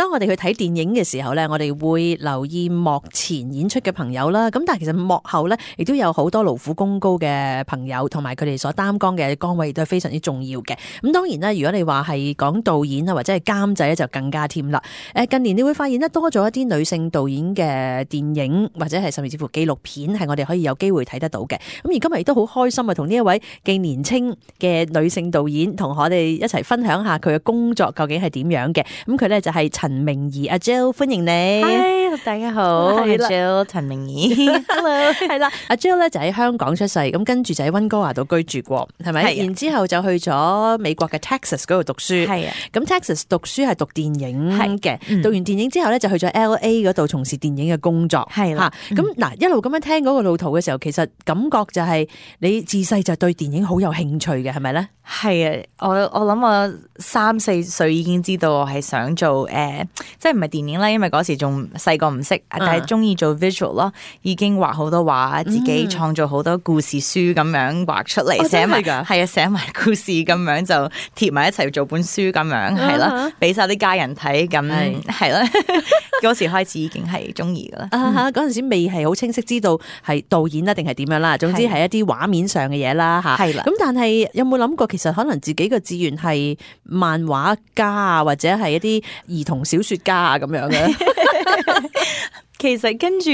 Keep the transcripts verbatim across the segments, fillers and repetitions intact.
當我哋去睇電影嘅時候咧，我哋會留意幕前演出嘅朋友啦。咁但係其實幕後咧，亦都有好多勞苦功高嘅朋友，同埋佢哋所擔當嘅崗位亦都係非常之重要嘅。咁當然啦，如果你話係講導演啊，或者係監製咧，就更加添啦。誒，近年你會發現咧多咗一啲女性導演嘅電影，或者係甚至乎紀錄片，係我哋可以有機會睇得到嘅。咁而今日亦都好開心啊，同呢一位既年輕嘅女性導演同我哋一齊分享下佢嘅工作究竟係點樣嘅。咁佢咧就係陳明儀阿 Jill， 歡迎你。Hi， 大家好，我係 Jill 陳明儀。Hello， 係啦，阿 Jill 咧就喺香港出世，咁跟住就喺溫哥華度居住過，係咪？然之後就去咗美國嘅 Texas 嗰度讀書。係啊，咁 Texas 讀書係讀電影嘅，嗯、讀完電影之後咧就去咗 L A 嗰度從事電影嘅工作。係啦，咁嗱、嗯、一路咁樣聽嗰個路途嘅時候，其實感覺就係你自細就對電影好有興趣嘅，係咪咧？係啊，我我諗我三四歲已經知道我係想做誒、呃，即係唔係電影啦，因為嗰時仲細個唔識，但係中意做 visual 咯，已經畫好多畫，自己創造好多故事書咁樣畫出嚟，寫埋㗎，係啊，寫埋故事咁樣就貼埋一齊做本書咁樣，係啦，俾晒啲家人睇，咁係啦，嗰時開始已經係中意㗎啦。啊哈，嗰陣時未係好清晰知道係導演啊定係點樣啦，總之係一啲畫面上嘅嘢啦嚇。係啦，咁但係有冇諗過其實可能自己嘅志願係漫畫家啊，或者係一啲兒童小說家啊咁樣嘅？其實跟住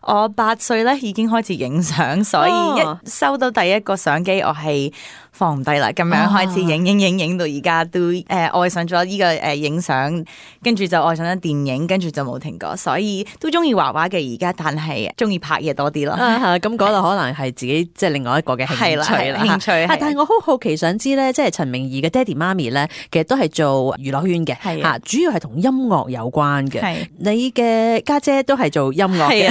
我八歲咧已經開始影相，所以一收到第一個相機，我係放唔低啦，咁樣開始影影影影到而家都誒、呃、愛上咗呢個誒影相，跟住就愛上咗電影，跟住就冇停過，所以都中意畫畫嘅而家，但係中意拍嘢多啲咯。咁嗰度可能係自己即係另外一個嘅興趣啦，興趣。但係我好好奇想知咧，即係陳明儀嘅爹哋媽咪咧，其實都係做娛樂圈嘅，嚇，主要係同音樂有關嘅。你嘅家姐都係做音樂嘅，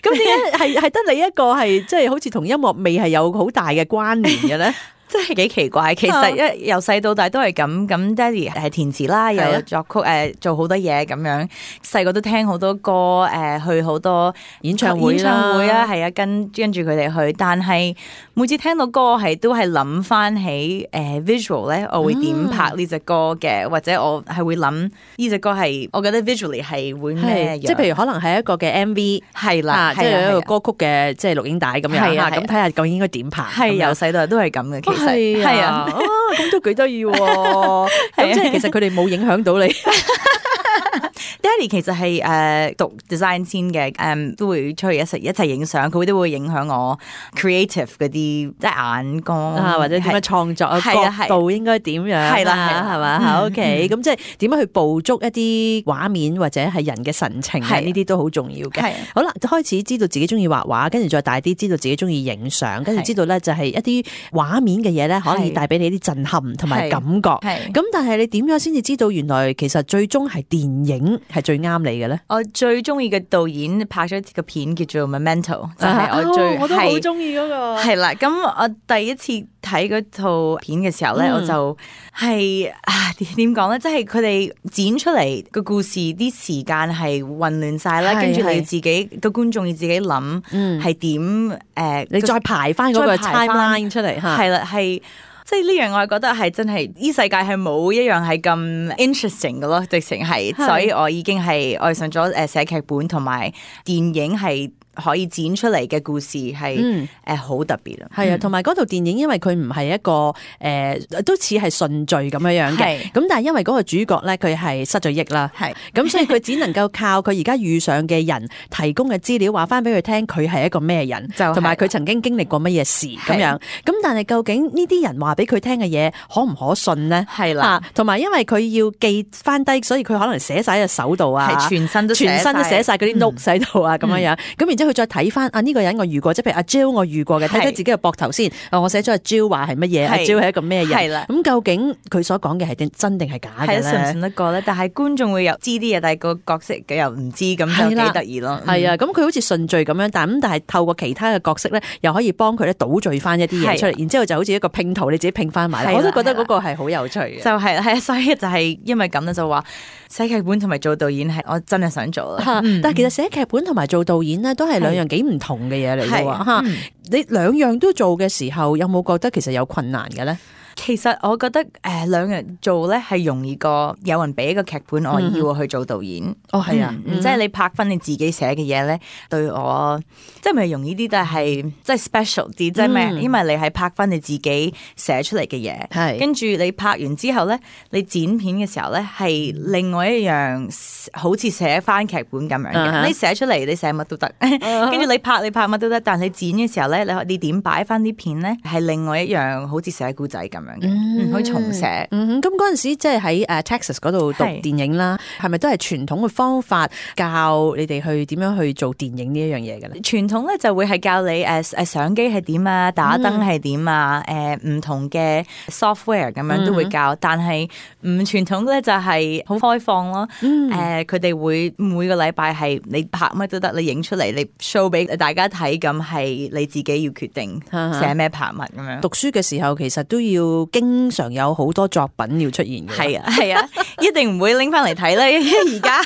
咁點解係係得你一個係即係好似同音樂未係有好大嘅關聯嘅咧？真係幾奇怪，其實一由細到大都係咁。咁爹哋係填詞啦，又有作曲，誒、呃、做好多嘢咁樣。細個都聽好多歌，誒、呃、去好多演唱會啦，演唱會啊，係啊，跟跟住佢哋去。但係每次聽到歌，係都係諗翻起誒、呃、visual 咧，我會點拍呢隻歌嘅，嗯、或者我係會諗呢隻歌係，我覺得 visually 係會咩？即係譬如可能係一個嘅 M V， 係啦，即係一個歌曲嘅即係錄影帶咁樣嚇。咁睇下究竟應該點拍？係由細到大都係咁嘅。係啊，咁都幾得意喎！咁即係其實佢哋冇影響到你。爹哋其實係誒讀 design 先嘅，誒都會出去一齊一齊影相，佢都會影響我 creative 嗰啲即係眼光啊，或者點樣創作角度應該點樣係啦，係嘛？OK，咁即係點樣去捕捉一啲畫面或者係人嘅神情啊？呢啲都好重要嘅。好啦，開始知道自己中意畫畫，跟住再大啲知道自己中意影相，跟住知道咧就係一啲畫面嘅嘢咧，可以帶俾你啲震撼同埋感覺。咁但係你點樣先至知道原來其實最終係電影係最啱你嘅咧？我最中意嘅導演拍咗個片叫做 Memento， 就係我最、啊、我都好中意嗰個。係啦，咁我第一次睇嗰套片嘅時候咧，嗯、我就係啊點講咧，即係佢哋剪出嚟個故事啲時間係混亂晒啦，跟住你要自己個觀眾要自己諗係點誒，你再排翻嗰個 timeline 出嚟嚇，係啦係。即係呢樣，我係覺得係真係呢世界係冇一樣係咁 interesting 嘅咯，直情係，所以我已經係愛上咗誒寫劇本同埋電影係可以剪出嚟嘅故事係誒好特別啊！係啊，同埋嗰套電影因為佢唔係一個誒、呃、都似係順序咁樣樣嘅，咁但係因為嗰個主角咧佢係失咗憶啦，係咁所以佢只能夠靠佢而家遇上嘅人提供嘅資料話翻俾佢聽，佢係一個咩人，同埋佢曾經經歷過乜嘢事咁樣。咁但係究竟呢啲人話俾佢聽嘅嘢可唔可信咧？係啦，同埋因為佢要記翻低，所以佢可能寫晒喺隻手度啊，係全身都全身都寫晒嗰啲 note 喺度啊，咁樣樣。咁然之後佢再睇翻啊呢個人我遇過，即係譬如阿 Jill 我遇過嘅，睇睇自己嘅膊頭先。我寫咗阿 Jill 話係乜嘢？阿 Jill 係一個咩人？係啦。咁究竟佢所講嘅係真定係假嘅咧？信唔信得過咧？但係觀眾會有知啲嘢，但係個角色嘅又唔知，咁就幾得意咯。係啊，咁佢好似順序咁樣，但係咁但係透過其他嘅角色咧，又可以幫佢咧倒序翻一啲嘢出嚟，然之後就好似一個拼圖，你自己拼翻埋。我都覺得嗰個係好有趣嘅。就係係啊，所以就係因為咁咧，就話寫劇本同埋做導演係我真係想做啦。但係其實寫劇本同埋做導演咧，都係兩樣幾唔同嘅嘢嚟嘅喎。你兩樣都做嘅時候，有冇覺得其實有困難嘅咧？其實我覺得誒、呃、兩人做咧係容易過有人俾一個劇本我要我去做導演。哦，係啊，嗯嗯、即係你拍翻你自己寫嘅嘢咧，對我即係咪容易啲？但係即係 special 啲，即係咩？因為你係拍翻你自己寫出嚟嘅嘢，係跟住你拍完之後咧，你剪片嘅時候咧係另外一樣，好似寫翻劇本咁樣嘅。Uh-huh. 你寫出嚟，你寫乜都得，跟住、uh-huh. 你拍你拍乜都得。但係你剪嘅時候咧，你你點擺翻啲片咧，係另外一樣，好似寫故仔咁樣嘅，嗯，可以重寫。嗯，咁嗰陣時即係喺誒 Texas 嗰度讀電影啦，係咪都係傳統嘅方法教你哋去點樣去做電影呢一樣嘢嘅咧？傳統咧就會係教你誒誒相機係點啊，打燈係點啊，誒、嗯、唔同嘅 software 咁樣都會教，嗯、但係唔傳統咧就係好開放咯。誒佢哋會每個禮拜係你拍乜都得，你影出嚟你 show 俾大家睇，咁係你自己要決定寫咩拍乜咁樣。讀書嘅時候其實都要經常有好多作品要出現嘅。係啊係啊，一定唔會拎翻嚟睇啦。而家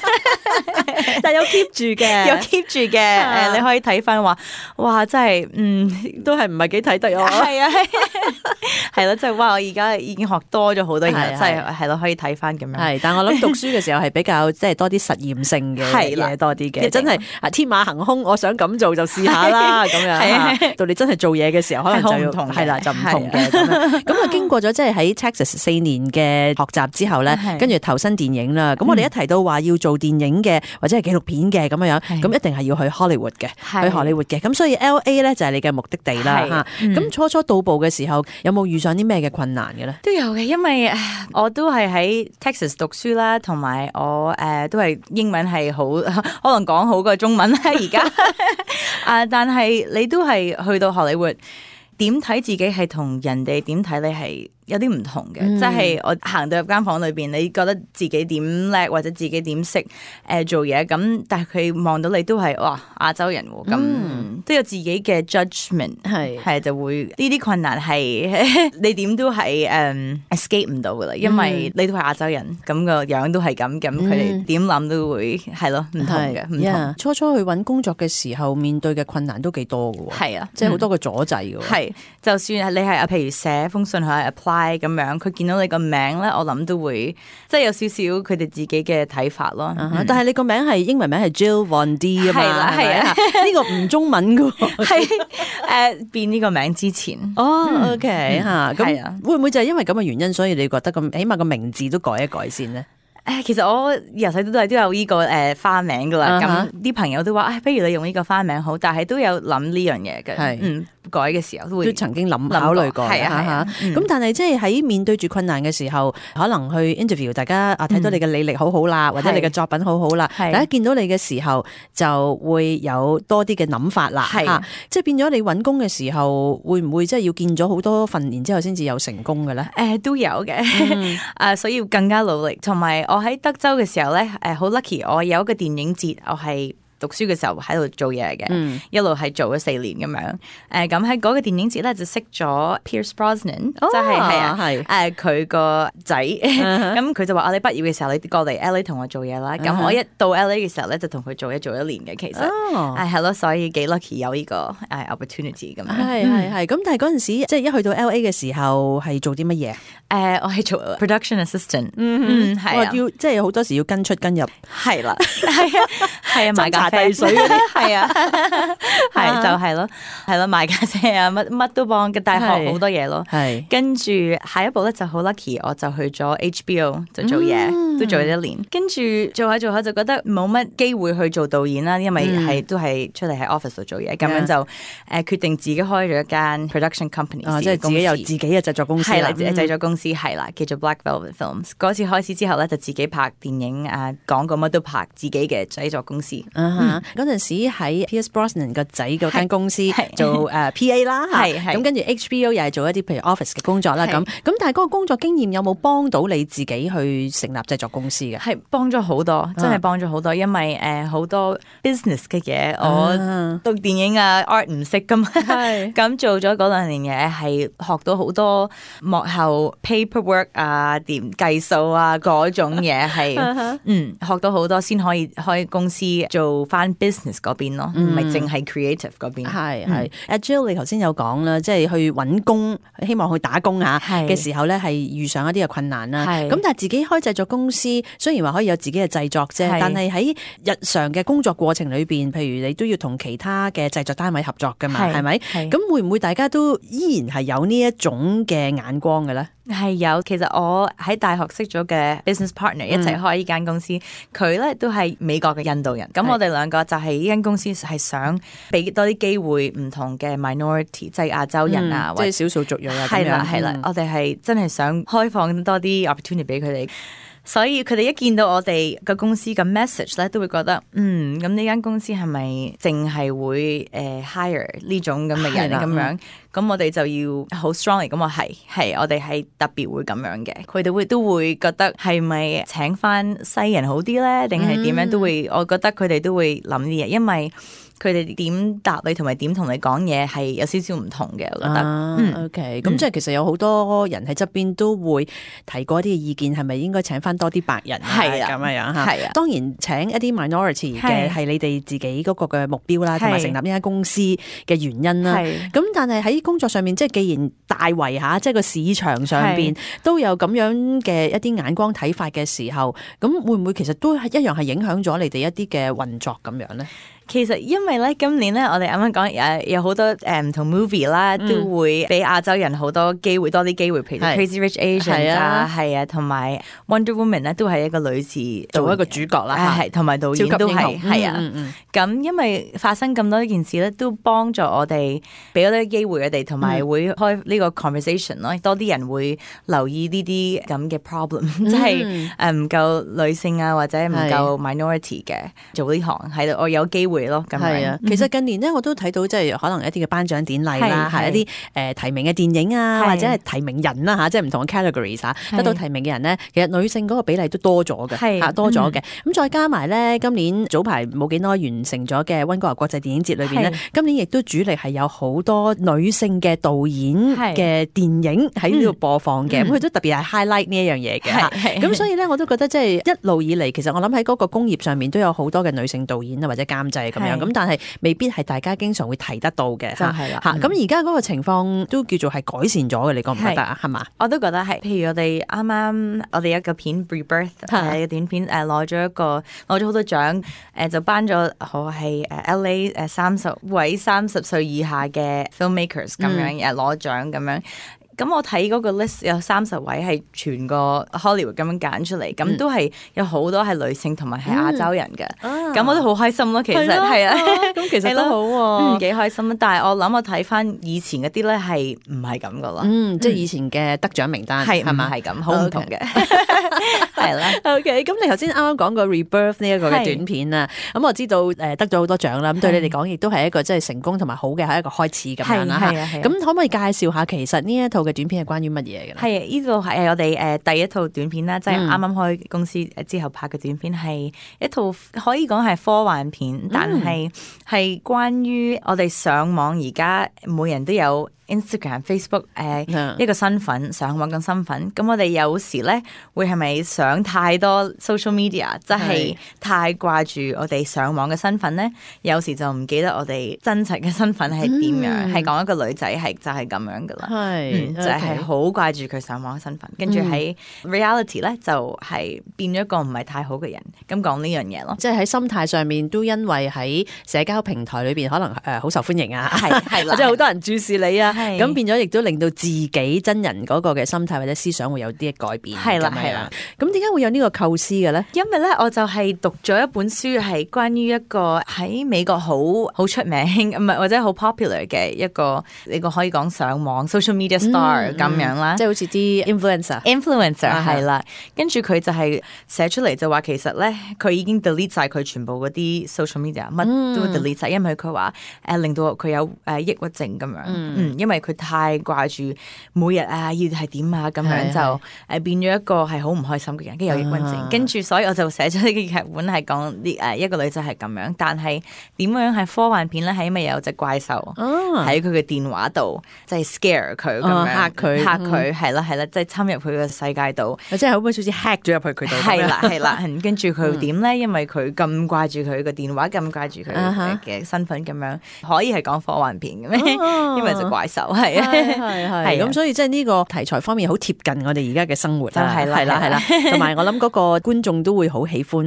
但有 keep 住嘅，有 keep 住嘅。誒、啊、你可以睇翻話，哇真係嗯都係唔係幾睇得啊。係啊係咯，即係哇我而家已經學多咗好多嘢，即係係咯可以睇翻咁樣。係，但我諗讀書嘅時候係比較即係多啲實驗性嘅嘢多啲嘅，真係啊天馬行空，我想咁做就試下啦咁樣。到你真係做嘢嘅時候，可能就要係啦，就唔同嘅咁樣。咁啊經過咗即係喺 Texas 四年嘅學習之後咧，跟住投身電影啦。咁我哋一提到話要做電影嘅或者係紀錄片嘅咁樣樣，咁一定係要去 Hollywood 嘅，去荷里活嘅。咁所以 L A 咧就係你嘅目的地啦嚇。咁、嗯、初初到步嘅時候，有冇遇上啲咩嘅困難嘅咧？都有嘅，因為我都係喺 Texas 讀書啦，同埋我誒、呃、都係英文係好，可能講好過中文啦而家。啊，但係你都係去到荷里活，點睇自己係同人哋點睇你係有啲唔同嘅，即、嗯、係、就是、我行到入間房裏邊，你覺得自己點叻或者自己點識誒做嘢，咁但係佢望到你都係哇亞洲人喎，咁、嗯、都有自己嘅 judgment， 係係就會呢啲困難係你點都係誒、um, escape 唔到噶啦，因為你都係亞洲人，咁、嗯、個樣都係咁，咁佢哋點諗都會係咯唔同嘅，唔同。Yeah, 初初去揾工作嘅時候，面對嘅困難都幾多㗎喎，係啊，即係好多個阻滯㗎喎。係、嗯，就算係你係啊，譬如寫封信去 apply。咁樣，佢見到你個名咧，我諗都會即係有少少佢哋自己嘅睇法咯。Uh-huh, 嗯、但係你個名係英文名係 Jill Von D 啊嘛，係啦係啊，呢個唔中文噶，係誒、呃、變呢個名之前。哦、oh,，OK 吓、嗯，咁、啊、會唔會就係因為咁嘅原因，所以你覺得咁起碼個名字都改一改先咧？誒，其實我由細到大都有呢個誒花名噶啦，咁、uh-huh. 啲朋友都話，誒，不如你用呢個花名好，但係都有諗呢樣嘢嘅，係嗯。改嘅時候都會都曾經諗考慮過，係啊係咁、嗯、但係即係喺面對住困難嘅時候，可能去 interview 大家啊，睇到你嘅履歷好好啦、嗯，或者你嘅作品好好啦，大家見到你嘅時候就會有多啲嘅諗法啦，係、啊、即係變咗你揾工嘅時候，會唔會即係要見咗好多份，然之後先至有成功嘅咧？誒、呃、都有嘅，誒、嗯、所以要更加努力。同埋我喺德州嘅時候咧，誒好 lucky，我有一個電影節，我係讀書嘅時候喺度做嘢嘅、嗯，一路係做咗四年咁樣。誒咁喺嗰個電影節咧就識咗 Pierce Brosnan，即係係啊，係誒佢個仔。咁佢就話：我哋畢業嘅時候，你過嚟 L A 同我做嘢啦。咁、uh-huh. 我一到 L A 嘅時候咧，就同佢做嘢做一年嘅。其實係係咯，所以幾 lucky 有呢個誒 opportunity 咁樣。係係係。咁但係嗰陣時，即係一去到 L A 嘅時候，係做啲乜嘢？誒、uh, 我係做 production assistant。嗯嗯，係啊，要即係好多時要跟出跟入。係啦，係啊，係啊，買咖啡水嗰啲，係啊，係就係咯，係咯，賣咖啡啊，乜乜都幫嘅，大學好多嘢咯。係跟住下一步咧就好 lucky，我就去咗 H B O 就做嘢、嗯，都做咗一年。跟住做下做下就覺得冇乜機會去做導演啦，因為係、嗯、都係出嚟喺 office 度做嘢，咁、嗯、樣就誒、呃、決定自己開咗一間 production company，、哦、即係自己有自己嘅製作公司啦，製作公司係啦，叫做 Black Velvet Films。嗰次開始之後咧，就自己拍電影啊，廣告乜都拍，自己嘅製作公司。嗰、嗯、陣時喺 Pierce Brosnan 個仔嗰間公司做誒 P A 啦，係咁跟住 H B O 又係做一啲譬如 office 嘅工作啦，咁咁但係嗰個工作經驗有冇幫到你自己去成立製作公司嘅？係幫咗好多，真係幫咗好多，因為誒好、呃、多 business 嘅嘢，我讀電影啊 art 唔識噶嘛，咁做咗嗰兩年嘢係學到好多幕後 paperwork 啊，點計數啊嗰種嘢係，嗯學到好多先可以開公司做翻 business 嗰邊咯，唔係淨係 creative 嗰邊。係係，阿 Jill 你頭先有講啦，即係去揾工，希望去打工嚇嘅時候咧，係遇上一啲嘅困難啦。咁但係自己開製作公司，雖然話可以有自己嘅製作啫，但係喺日常嘅工作過程裏邊，譬如你都要同其他嘅製作單位合作㗎嘛，係咪？咁會唔會大家都依然係有呢一種嘅眼光嘅咧？係有，其實我喺大學識咗嘅 business partner 一齊開呢間公司，佢咧、嗯、都係美國嘅印度人。咁我哋兩個就係呢間公司係想俾多啲機會唔同嘅 minority，即係亞洲人啊，嗯、或者即係少數族裔啊。係啦係啦，嗯、我哋係真係想開放多啲 opportunity 俾佢哋。所以佢哋一見到我哋個公司嘅 message 咧，都會覺得嗯，咁呢間公司係咪淨係會誒、呃、hire 呢種咁嘅人咁樣？咁我哋就要好 strong 嚟咁話係係，我哋係特別會咁樣嘅。佢哋會都會覺得係咪請翻西人好啲咧？定係點樣都會？我覺得佢哋都會諗啲嘢，因為佢哋點答你同埋點同你講嘢係有少少唔同嘅，我覺得。啊、嗯 OK，咁、嗯、即係其實有好多人喺側邊都會提過一啲嘅意見，係咪應該請翻多啲白人？係啊，咁樣樣嚇。係啊，當然請一啲 minority 嘅係你哋自己嗰個嘅目標啦，同埋成立呢間公司嘅原因啦。咁但係喺工作上面，即係既然大圍下，即係個市場上邊都有咁樣嘅一啲眼光睇法嘅時候，咁會唔會其實都係一樣係影響咗你哋一啲嘅運作咁樣咧？其實因為咧，今年咧，我哋啱啱講誒有好多誒唔同 movie 啦，嗯、都會俾亞洲人好多機會，多啲機會，譬如 Crazy Rich Asians 啊，係啊，同埋 Wonder Woman 咧，都係一個女士做一個主角啦，係同埋導演都係係啊。咁、嗯嗯嗯、因為發生咁多件事咧，都幫助我哋俾多啲機會佢哋，同埋會開呢個 conversation 咯，多啲人會留意呢啲咁嘅 problem，即係誒唔夠女性啊，或者唔夠 minority 嘅做呢行，喺度我有機會。係啊，其實近年咧，我都睇到即係可能一啲嘅頒獎典禮啦，係一啲誒提名嘅電影啊，或者係提名人啦嚇，即係唔同嘅 categories 嚇，得到提名嘅人咧，其實女性嗰個比例都多咗嘅，嚇多咗嘅。咁再加埋咧，今年早排冇幾耐完成咗嘅溫哥華國際電影節裏邊咧，今年亦都主力係有好多女性嘅導演嘅電影喺呢度播放嘅，咁佢都特別係 highlight 呢一樣嘢嘅。咁所以咧，我都覺得即係一路以嚟，其實我諗喺嗰個工業上面都有好多嘅女性導演啊，或者監製。咁樣咁，但係未必係大家經常會提得到嘅，就係啦。嚇咁而家嗰個情況都叫做係改善咗嘅，你覺唔覺得啊？係嘛？我都覺得係。譬如我哋啱啱我哋一個片 Rebirth 嘅短片誒攞咗一個攞咗好多獎誒，就頒咗好係誒 L A 誒三十位三十歲以下嘅 filmmakers 咁樣誒攞獎咁樣。咁我睇嗰個 list 有三十位係全個 Hollywood 咁樣揀出嚟，咁、嗯、都係有好多係女性同埋係亞洲人嘅，咁、嗯、我都好開心咯。其實係啊，咁其實都好喎，嗯，幾開心。但係我諗我睇翻以前嗰啲咧係唔係咁噶咯？嗯，即係以前嘅得獎名單係咪係咁？好唔同嘅，係啦。OK，咁你頭先啱啱講過 Rebirth 呢一個嘅短片啊，咁我知道誒得咗好多獎啦。咁對你嚟講，亦都係一個即係成功同埋好嘅係一個開始咁樣啦。咁可唔可以介紹下其實呢一套嘅短片係關於乜嘢嘅咧？係呢個係我哋誒第一套短片啦，即係啱啱開公司之後拍嘅短片，係一套可以講係科幻片，但係係關於我哋上網而家每人都有 Instagram、Facebook 誒、呃 yeah. 一個身份上網嘅身份，咁我哋有時咧會係咪上太多 social media，即係太掛住我哋上網嘅身份咧？有時就唔記得我哋真實嘅身份係點樣，係、嗯、講一個女仔係就係咁樣噶啦，係、嗯、就係好掛住佢上網嘅身份，跟住喺 reality 咧就係變咗一個唔係太好嘅人，咁講呢樣嘢咯，即係喺心態上面都因為喺社交平台裏邊可能誒好受歡迎啊，係係啦，或者好多人注視你啊。咁變咗，亦都令到自己真人嗰個嘅心態或者思想會有啲改變。係啦，係啦。咁點解會有呢個構思嘅咧？因為咧，我就係讀咗一本書，係關於一個喺美國好好出名，唔係或者好 popular 嘅一個，呢個可以講上網 social media star 咁、嗯、樣啦，即係好似啲 influencer，influencer 係啦。跟住佢就係寫出嚟就話，其實咧佢已經 delete 晒佢全部嗰啲 social media，乜都 delete 晒、嗯，因為佢話誒令到佢有誒抑鬱症咁樣。嗯，因為佢太掛住每日啊要係點啊咁樣就誒變咗一個係好唔開心嘅人，跟住有抑鬱症，跟住所以我就寫咗呢個劇本係講啲誒一個女仔係咁樣，但係點樣係科幻片咧？係因為有隻怪獸喺佢嘅電話度，即係 scare 佢咁樣嚇佢嚇佢係啦係啦，即係侵入佢嘅世界度，即係好似好似 hack 咗入去佢度。係啦係啦，跟住佢點咧？因為佢咁掛住佢個電話，咁掛住佢嘅身份咁樣，可以係講科幻片嘅咩？因為隻怪獸係啊係係咁，所以即係呢個題材方面好貼近我哋而家嘅生活啦，係啦係啦係啦，同埋我諗嗰個觀眾都會好喜歡，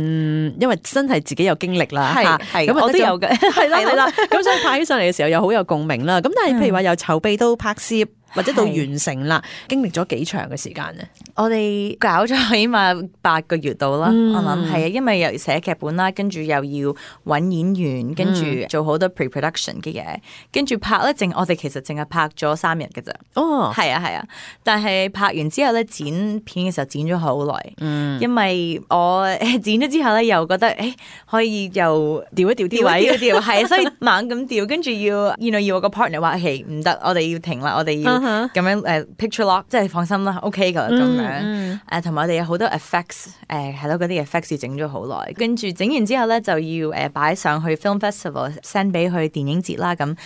因為真係自己有經歷啦，係係咁我都有嘅，係啦係啦，咁所以拍起上嚟嘅時候又好有共鳴啦。咁但係譬如話由籌備到拍攝，或者到完成啦，經歷咗幾長嘅時間咧？我哋搞咗起碼八個月度啦，嗯、我諗係啊，因為又寫劇本啦，跟住又要揾演員，跟住做好多 pre-production 嘅嘢，跟住拍咧，淨我哋其實淨係拍咗三日嘅咋。哦，係啊係啊，但係拍完之後咧，剪片嘅時候剪咗好耐，嗯、因為我剪咗之後咧，又覺得誒、欸、可以又調一調啲位，調一調係，所以猛咁調，跟住要，you know, 要我個 partner 話係唔得，我哋要停啦，我哋要。咁樣誒、uh, picture lock， 即係放心啦 ，OK 噶咁樣誒，同埋我哋有好多 effects 誒係咯，嗰啲 effects 要整咗好耐，跟住整完之後咧就要誒擺上去 film festival send 俾佢電影節啦，咁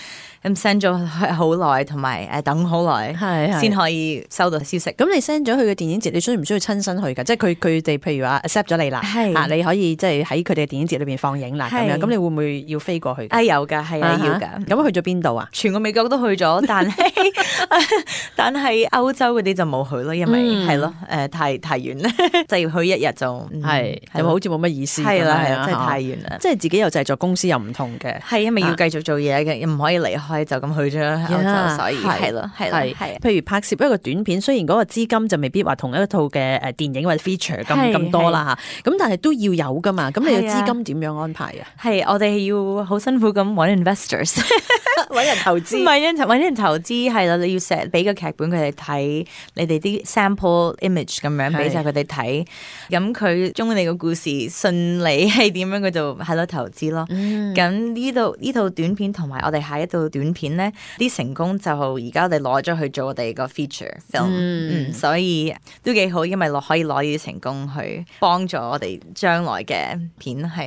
咁 send 咗好耐，同埋誒等好耐，係先可以收到消息。咁你 send 咗去嘅電影節，你需唔需要親身去㗎？即係佢佢哋譬如話 accept 咗你啦，啊你可以即係喺佢哋嘅電影節裏邊放映啦，咁樣咁你會唔會要飛過去？啊有㗎，係啊要㗎。咁去咗邊度啊？全個美國都去咗，但係但係歐洲嗰啲就冇去咯，因為係咯誒太太遠啦，就要去一日就係係好似冇乜意思。係啦係啦，真係太遠啦。即係自己有製作公司又唔同嘅，係因為要繼續做嘢嘅，唔可以離開就咁去咗歐洲，所以係咯係係。譬如拍攝一個短片，雖然嗰個資金就未必話同一套嘅誒電影或者 feature 咁咁多啦嚇，咁但係都要有噶嘛。咁你嘅資金點樣安排啊？係我哋要好辛苦咁揾 investors，揾人投資，揾人揾人投資係啦。你要寫俾個劇本佢哋睇，你哋啲 sample image 咁樣俾晒佢哋睇，咁佢中意你個故事，信你係點樣，佢就係咯投資咯。咁呢度呢套短片同埋我哋下一套短片咧，啲成功就而家我哋攞咗去做我哋個 feature film，嗯，嗯，所以都幾好，因為攞可以攞呢啲成功去幫助我哋將來嘅片係。